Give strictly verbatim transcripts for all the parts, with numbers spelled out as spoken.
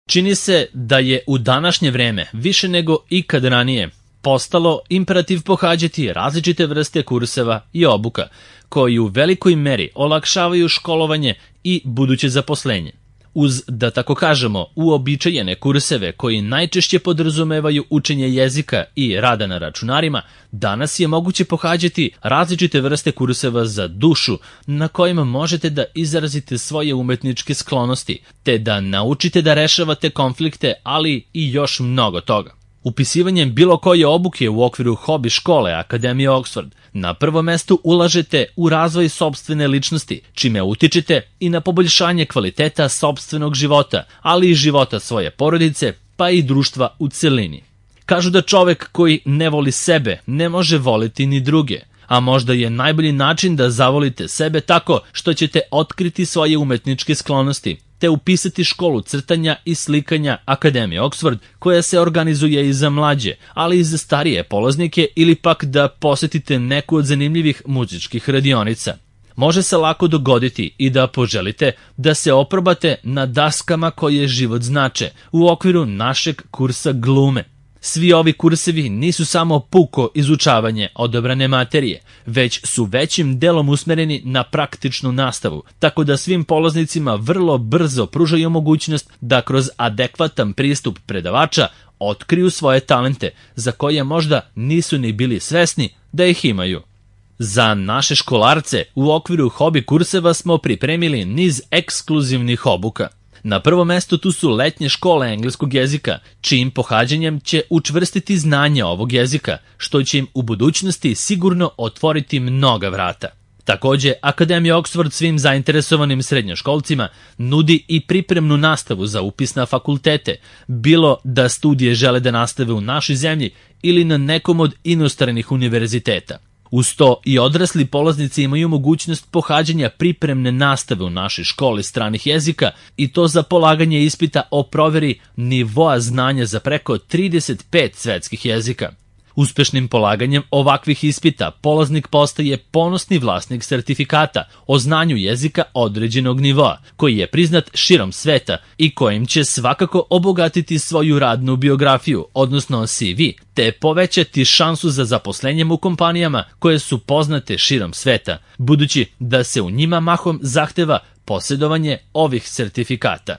Čini se da je u današnje vreme više nego ikad ranije postalo imperativ pohađati različite vrste kurseva i obuka, koji u velikoj meri olakšavaju školovanje i buduće zaposlenje. Uz, da tako kažemo, uobičajene kurseve koji najčešće podrazumevaju učenje jezika i rada na računarima, danas je moguće pohađati različite vrste kurseva za dušu na kojima možete da izrazite svoje umetničke sklonosti, te da naučite da rešavate konflikte, ali i još mnogo toga. Upisivanjem bilo koje obuke u okviru hobi škole Akademije Oxford na prvo mesto ulažete u razvoj sopstvene ličnosti, čime utičete i na poboljšanje kvaliteta sopstvenog života, ali i života svoje porodice, pa i društva u celini. Kažu da čovek koji ne voli sebe ne može voliti ni druge, a možda je najbolji način da zavolite sebe tako što ćete otkriti svoje umetničke sklonosti, te upisati školu crtanja i slikanja Akademije Oxford, koja se organizuje i za mlađe, ali i za starije polaznike, ili pak da posetite neku od zanimljivih muzičkih radionica. Može se lako dogoditi i da poželite da se oprobate na daskama koje život znače u okviru našeg kursa glume. Svi ovi kursevi nisu samo puko izučavanje odabrane materije, već su većim delom usmereni na praktičnu nastavu, tako da svim polaznicima vrlo brzo pružaju mogućnost da kroz adekvatan pristup predavača otkriju svoje talente, za koje možda nisu ni bili svesni da ih imaju. Za naše školarce u okviru hobi kurseva smo pripremili niz ekskluzivnih obuka. Na prvo mesto tu su letnje škole engleskog jezika, čijim pohađanjem će učvrstiti znanje ovog jezika, što će im u budućnosti sigurno otvoriti mnoga vrata. Takođe, Akademija Oxford svim zainteresovanim srednjoškolcima nudi i pripremnu nastavu za upis na fakultete, bilo da studije žele da nastave u našoj zemlji ili na nekom od inostranih univerziteta. Uz to i odrasli polaznici imaju mogućnost pohađanja pripremne nastave u našoj školi stranih jezika, i to za polaganje ispita o proveri nivoa znanja za preko trideset pet svetskih jezika. Uspešnim polaganjem ovakvih ispita polaznik postaje ponosni vlasnik sertifikata o znanju jezika određenog nivoa, koji je priznat širom sveta i kojim će svakako obogatiti svoju radnu biografiju, odnosno C V, te povećati šansu za zaposlenjem u kompanijama koje su poznate širom sveta, budući da se u njima mahom zahteva posjedovanje ovih sertifikata.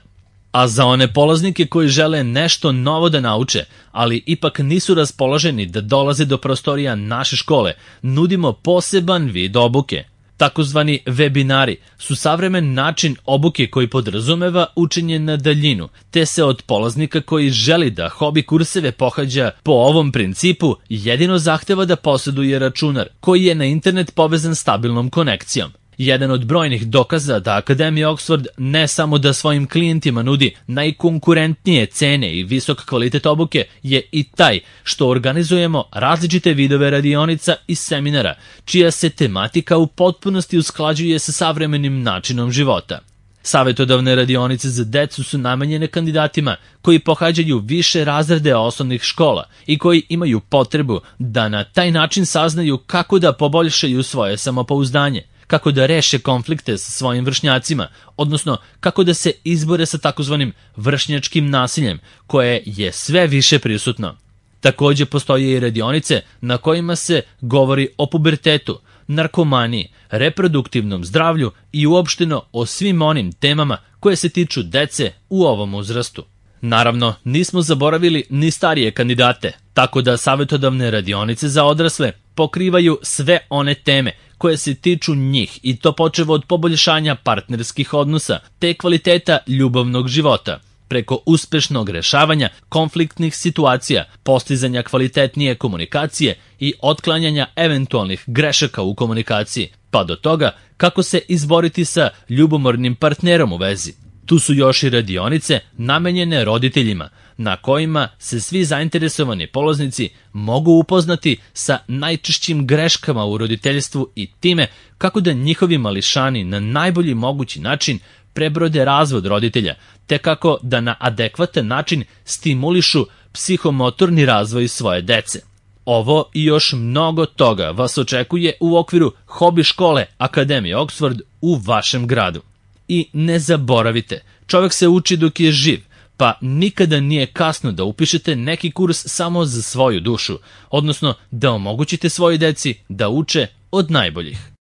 A za one polaznike koji žele nešto novo da nauče, ali ipak nisu raspoloženi da dolaze do prostorija naše škole, nudimo poseban vid obuke. Takozvani webinari su savremen način obuke koji podrazumeva učenje na daljinu, te se od polaznika koji želi da hobi kurseve pohađa po ovom principu jedino zahteva da posjeduje računar koji je na internet povezan stabilnom konekcijom. Jedan od brojnih dokaza da Akademija Oxford ne samo da svojim klijentima nudi najkonkurentnije cene i visok kvalitet obuke je i taj što organizujemo različite vidove radionica i seminara, čija se tematika u potpunosti usklađuje sa savremenim načinom života. Savetodavne radionice za decu su namenjene kandidatima koji pohađaju više razrede osnovnih škola i koji imaju potrebu da na taj način saznaju kako da poboljšaju svoje samopouzdanje, kako da reše konflikte sa svojim vršnjacima, odnosno kako da se izbore sa takozvanim vršnjačkim nasiljem, koje je sve više prisutno. Takođe postoje i radionice na kojima se govori o pubertetu, narkomaniji, reproduktivnom zdravlju i uopšteno o svim onim temama koje se tiču dece u ovom uzrastu. Naravno, nismo zaboravili ni starije kandidate, tako da savetodavne radionice za odrasle pokrivaju sve one teme koje se tiču njih, i to počev od poboljšanja partnerskih odnosa te kvaliteta ljubavnog života, preko uspešnog rešavanja konfliktnih situacija, postizanja kvalitetnije komunikacije i otklanjanja eventualnih grešaka u komunikaciji, pa do toga kako se izboriti sa ljubomornim partnerom u vezi. Tu su još i radionice namenjene roditeljima, na kojima se svi zainteresovani polaznici mogu upoznati sa najčešćim greškama u roditeljstvu i time kako da njihovi mališani na najbolji mogući način prebrode razvod roditelja, te kako da na adekvatan način stimulišu psihomotorni razvoj svoje dece. Ovo i još mnogo toga vas očekuje u okviru hobi škole Akademije Oxford u vašem gradu. I ne zaboravite, čovjek se uči dok je živ, pa nikada nije kasno da upišete neki kurs samo za svoju dušu, odnosno da omogućite svojoj deci da uče od najboljih.